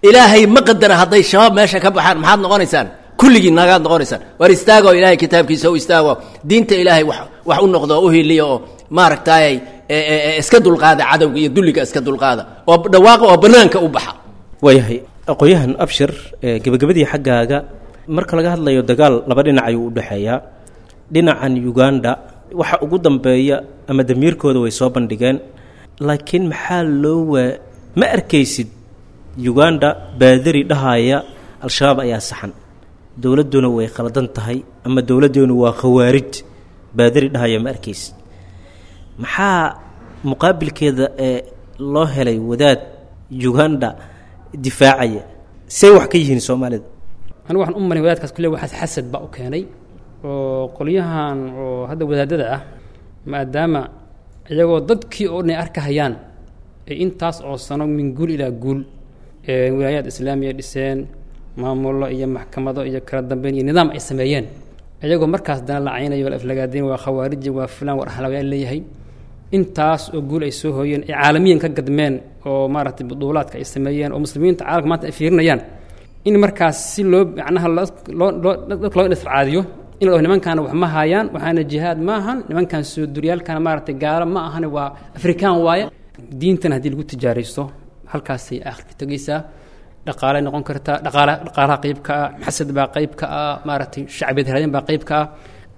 Ilaahay ma qadara, hadday shabaab meesha ka baxaan maxaad noqonaysaan? Kulligii nagaad noqonaysaan. War istaago, Ilaahay kitaabkiisa u istaago, diinta Ilaahay wax u noqdo, u hiliya oo maaragtaayay iska dulqaada cadowga iyo dulliga, iska dulqaada oo dhawaaqa oo banaanka u baxa. Waayahay, aqoon-yahan Abshir, gebagabadii xaggaaga, marka laga hadlayo dagaal laba dhinac ayuu u dhexeeyaa. Dhinacan Uganda waxa ugu dambeeya ama damiirkooda way soo bandhigeen, laakiin maxaa loo waa ma arkaysid Uganda baadari dhahaya Al-Shabaab ayaa saxan, dowladduna way khaladan tahay, ama dowladdeenu waa khawaarij baadari dhahaya ma arkaysid. Maxaa muqaabilkeeda ee loo helay wadaad Uganda difaacaya? Say wax ka yihiin Soomaalida? Anigu waxaan u maray wadaadkaas kulle waxaas xasad baa u keenay, oo qolyahan oo hadda wadaadada ah, maadaama iyagoo dadkii oo dhan ay arkahayaan ay intaas oo sano min guul ilaa guul wilaayaad islaamiya dhiseen, maamullo iyo maxkamado iyo kala dambeyn iyo nidaam ay sameeyeen, iyagoo markaas dana la caynayo, la aflagaadayn, waa khawaariji, waa fulaan, war ahlawayaal leeyahay, intaas oo guul ay soo hooyeen, ay caalamiyan ka gadmeen oo maaragtay buduulaadka ay sameeyeen oo muslimiinta caalamka maanta ay fiirinayaan, in markaas si loo macnaha loo loo dadka loo isracaadiyo in la dhaho nimankaana wax ma haayaan, waxaana jihaad ma ahan, nimankan soo duryaalkana maaragtay gaalo ma ahan, waa Afrikaan waaye. Diintan haddii lagu tijaaraysto halkaasay aakhirka tegaysaa. Dhaqaalay noqon kartaa, dhaqaala dhaqaalaha qayb ka ah, xasad baa qayb ka ah, maaragtay shacbiyad raadin baa qayb ka ah.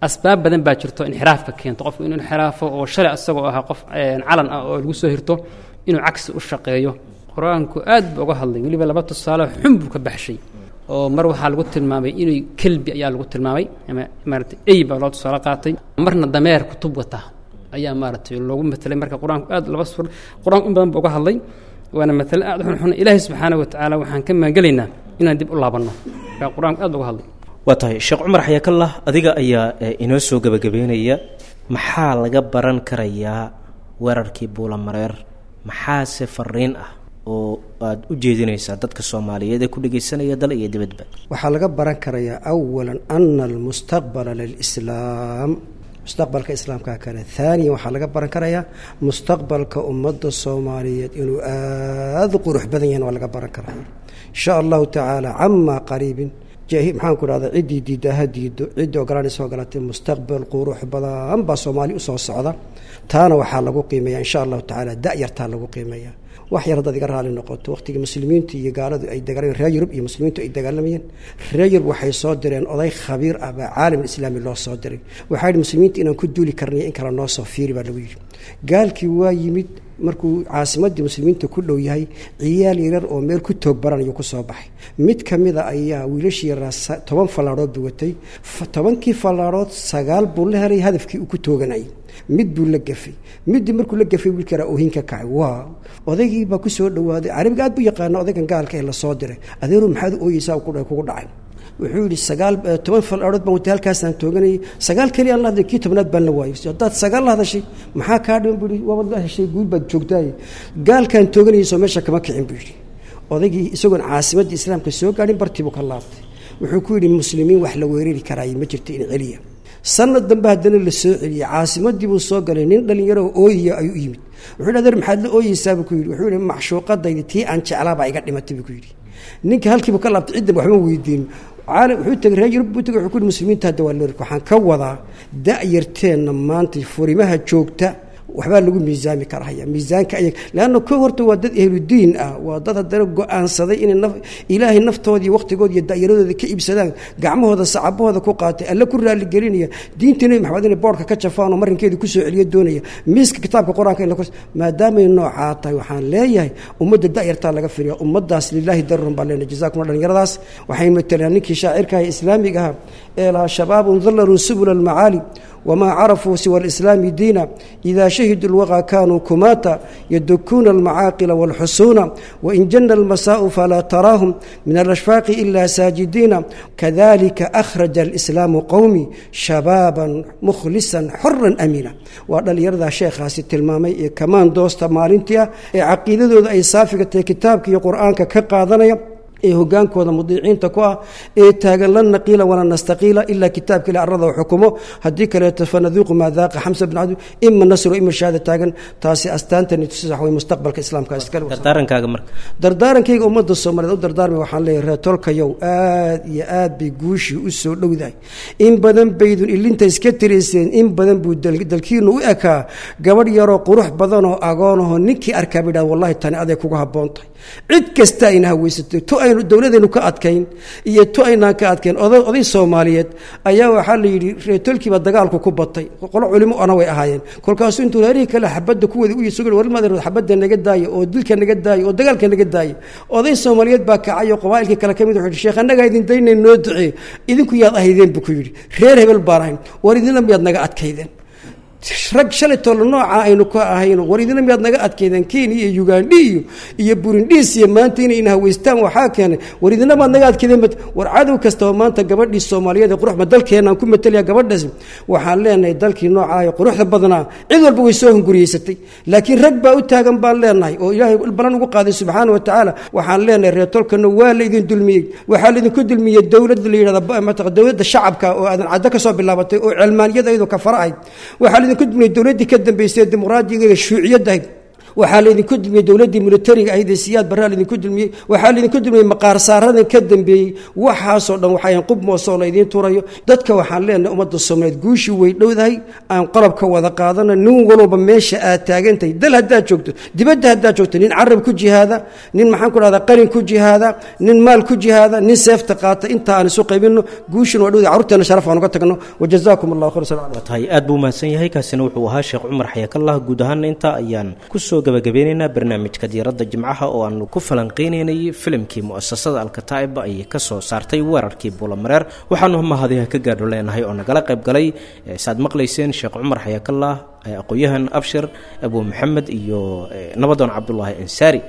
Asbaab badan baa jirto inxiraafka keento qofku inuu inxiraafo, oo shalay asagoo ahaa qof calan ah oo lagu soo hirto inuu cagsi u shaqeeyo. Qur-aanku aad buu uga hadlay, weliba laba tusaale xun buu ka baxshay, oo mar waxaa lagu tilmaamay inuu kelbi ayaa lagu tilmaamay ama maaragtay ey baa loo tusaale qaatay, marna dameer kutub wata ayaa maaragtay loogu matelay. Marka qur-aanku aad laba suur qur-aanku in badan buu uga hadlay, waana matale aad u xunxun. Ilaahay subxaanahu watacaala waxaan ka maangelaynaa inaan dib u laabanno. Marka qur-aanku aad buu uga hadlay. Waa tahay, Sheekh Cumar Xayaakallah, adiga ayaa inoo soo gebagabeynaya. Maxaa laga baran karayaa weerarkii Buulamareer? Maxaase fariin ah oo aada u jeedinaysaa dadka Soomaaliyeed ee ku dhegeysanaya dal iyo dibadba? Waxaa laga baran karayaa awalan ana almustaqbala lilislaam, mustaqbalka islaamka kale. Haaniyan, waxaa laga baran karayaa mustaqbalka ummadda Soomaaliyeed inuu aada u qurux badan yahin waa laga baran karaya, insha Allahu tacaala, camaa qariibin. Maxaan ku dhahda, ciddii diiddaa ha diido, ciddii ogolanaysa ogolatay, mustaqbal qurux badan baa Soomaali usoo socda. Taana waxaa lagu qiimeeya, insha Allahu tacaala, da-yartaa lagu qiimeeya. Wax yar haddaad iga raali noqoto, waqtigii muslimiintu iyo gaaladu ay dagaalamayeen, reer Yurub iyo muslimiintu ay dagaalamayeen, reer Yurub waxay soo direen oday khabiir ah baa caalam islaami loo soo diray. Waxaa yidhi, muslimiinta inaan ku duuli karnay in kale noo soo fiiri baa lagu yidhi. Gaalkii waa yimid. Markuu caasimadii muslimiinta ku dhow yahay, ciyaal yaryar oo meel ku toog baranayuu ku soo baxay. Mid ka mida ayaa wiilashii yaraa 10 fallaadhood buu watay. 10kii fallaadhood 9 buu la helay hadafkii uu ku tooganayay, mid buu la gafay. Middii markuu la gafay, wiilka yaraa oohin ka kacay. Waa odaygii baa ku soo dhowaaday, carabiga aad buu yaqaana odaygan gaalka ee lasoo diray. Adeeru, maxaad u ooyeysaa? Ku kugu dhacay? Wuxuu yidhi, 9 10 fallaadhood baan watay, halkaasaan tooganayay, 9 keliya aan la hadlay, kii 10aad baan la waayay. Haddaad 9 la hadashay, maxaa kaa dhiman? Buu yidhi. Waabad la heshay, guul baad joogtaaye. Gaalkaan tooganayay soo meesha kama kicin, buu yidhi. Odaygii isagoon caasimadda islaamka soo gaadhin bartii buu ka laabtay. Wuxuu ku yidhi, muslimiin wax la weerari karaaye ma jirto, in celiya. Sanad dambe haddana la soo celiyey, caasimadii buu soo galay. Nin dhalinyaro oo ooyaya ayuu u yimid. Wuxuu yidhi, adeer, maxaad la ooyeysaa? Buu ku yidhi. Wuxuu yidhi, macshuuqadaydi tii aan jeclaa baa iga dhimatay, buu ku yidhi. Ninka halkiibu ka laabtay, ciddan waxba weydiin. Caalam wuxuu tegay, reer Yurub buu tegay. Wuxuu ku yidhi, muslimiinta hadda waa loo. Waxaan ka wadaa, da-yarteenna maanta furimaha joogta waxbaa lagu miisaami karahaya miisaanka ayag, leanna ko horta waa dad ehludiin ah, waa dad haddana go-aansaday inay naf Ilaahay naftoodii, waqtigooda iyo da'yaradooda ka iibsadaan, gacmahooda sacabahooda ku qaatay, Alle ku raaligelinaya, diinta Nebi Maxamed inay boorka ka jafaan oo marinkeeda kusoo celiyo doonaya, miiska kitaabka Qur-aanka in la maadaamay noocaa tahay, waxaan leeyahay ummadda da'yartaa laga firiya ummaddaas. Lilaahi darun baa leenahay, jazaakum. Dhalinyaradaas waxay matalaan ninkii shaacirka ah islaamiga ahaa ee lahaa, shabaabun dallaluu subula almacaali wmaa carafuu siwa alislaami diina, ida shahiduu lwaqaa kaanuu kumaata, yadukuuna almacaaqila walxusuuna, wain jana almasaa'u falaa taraahum min alashfaaqi ila saajidiina, kadalika akhraja alislaamu qowmi shabaaban mukhlisan xoran amiina. Waa dhallinyaradaa sheekhaasi tilmaamay ee kamaan doosta maalintii ah ee caqiidadooda ay saafiga tahay, kitaabka iyo Qur-aanka ka qaadanaya, ee hogaankooda mudiiciinta ku ah, ee taagan lan naqiila walaa nastaqiila ilaa kitaabka ila arlada xukumo, haddii kaleeto fanaduuqu maa daaqa Xamsa bin Cabdi, ima nasru ima shahaada taagan. Taasi astaantani tusax way mustaqbalka islaamka iskale. Dardaarankaaga marka? Dardaarankayga ummadda Soomaaliyeed u dardaarmay, waxaan leeyahay, reer tolkayow, aad iyo aad bay guushii u soo dhowdahay. In badan baydun ilinta iska tirayseen, in badan buu dalkiinu u ekaa gabadh yaroo qurux badanoo agoonahoo ninkii arkaa bay dhaha, wallahi tani aday kugu habboon tahay. Cid kasta ayna haweysatay, tu aynu dowladaynu ka adkayn iyo tu aynaan ka adkayn. Oday Soomaaliyeed ayaa waxaa la yidhi reetolkiiba dagaalku ku batay, qolo culimo ana way ahaayeen. Kolkaasuu intuu reerihii kale xabadda ku wada u yisugi, warmaad xabadda naga daaya oo dilka naga daaya oo dagaalka naga daaya. Oday Soomaaliyeed baa kacay oo qabaa'ilkii kale ka mid wuxuu yidhi, sheekh, annagaa idin daynay, noo duceey. Idinku yaad ahaydeen? Buu ku yidhi. Reer hebel baan ahayn. War idinla miyaad naga adkaydeen? Rag shalay toolo nooca aynu ka ahayno, war idina miyaad naga adkaydeen? Kenya iyo Ugandhi iyo Burundis iyo maanta inay ina haweystaan waxaa keenay, war idina maad naga adkaydeen? War cadow kastaba maanta gabadhii Soomaaliyeed ee quruxba dalkeenaan ku matalaya gabadhaas, waxaan leenahay dalkii noocaa ee quruxda badnaa cid walba way soo hunguriyeysatay, laakiin rag baa u taagan baan leenahay oo Ilaahay balan ugu qaaday subxaana wa tacaala. Waxaan leenahay reer tolkana waa la idin dulmiyey. Waxaa laidinku dulmiyey dowladda la yidhahda mataqa dowladda shacabka oo Aadan Caddo ka soo bilaabatay oo celmaaniyada iyadoo kafara ahayd. Waxaa laidinku dulmiyey dowladdii ka dambeysay ee dimuqraadiga shuuciyadda ahayd. Waxaa laydinku dulmiyey dowladdii militariga ahayd ee Siyaad Barraa laydinku dulmiyey. Waxaa laydinku dulmiyey maqaar saaradan ka dambeeyey. Waxaasoo dhan waxayan qub moosoo laydiin turayo dadka. Waxaan leenahay ummadda Soomaaliyeed, guushii way dhowdahay, aan qalabka wada qaadano. Nin walba meesha aad taagantahay, dal haddaad joogto, dibadda haddaad joogto, nin carab ku jihaada, nin maxaan ku dhahdaa qalin ku jihaada, nin maal ku jihaada, nin seefta qaata, inta aan isu qaybinno, guushina waa dhowdahay, carruurteena sharaf aan uga tagno. Wajazaakum Allahu khayr. Salaam. Waa tahay, aad buu mahadsan yahay. Kaasina wuxuu ahaa Sheekh Cumar Xayakallah. Guud ahaana intaa ayaan kusoo gabagabeynaynaa barnaamijka diiradda jimcaha oo aanu ku falanqeynaynay filimkii mu'asasada Alkataa'ib ay ka soo saartay weerarkii Buulamareer. Waxaanu mahadiha ka gaadho leenahay oo nagala qayb galay, saad maqlayseen, Sheekh Cumar Xayakallah, aqoon-yahan Abshir Abu Maxamed iyo nabadoon Cabdulaahi Ansaari.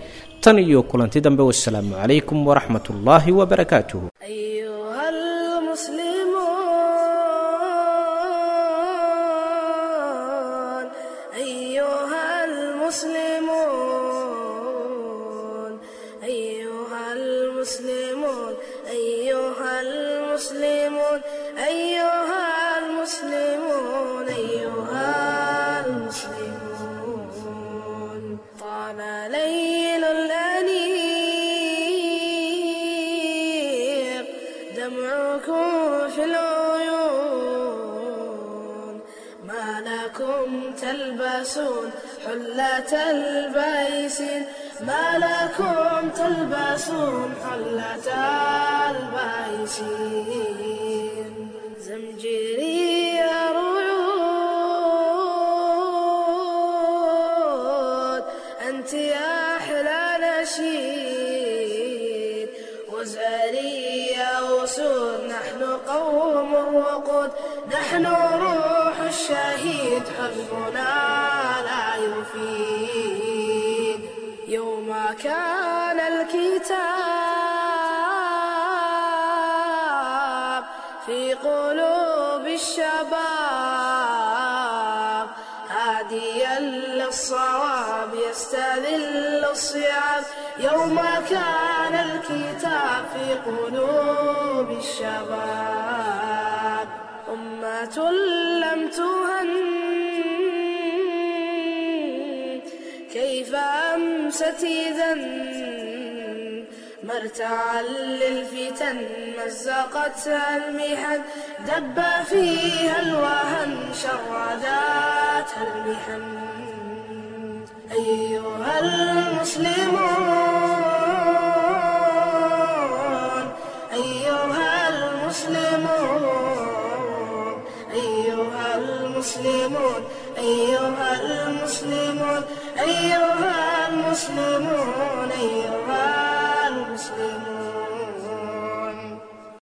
Tan iyo kulanti dambe, wasalaamu calaykum waraxmat ullaahi wabarakaatuhu. أيها ليل الأنيق دمعكم في العيون، ما لكم تلبسون حلة البيس، ما لكم تلبسون حلة البيس. زمجري رعود، أنت يا أحلى نشيد، وزاري يا أسود، نحن قوم وقود، نحن روح الشهيد، حزبنا لا يفيد. يوم كان الكتاب في قلوب الشباب، هاديا للصواب يستذل الصعاب، يوم كان الكتاب في قلوب الشباب. أمة لم تهن كيف أمست إذا، مرتعا للفتن مزقتها المحن، دب فيها الوهن شرداتها المحن. أيها المسلمون، أيها المسلمون، أيها المسلمون، أيها المسلمون، أيها المسلمون، أيها المسلمون.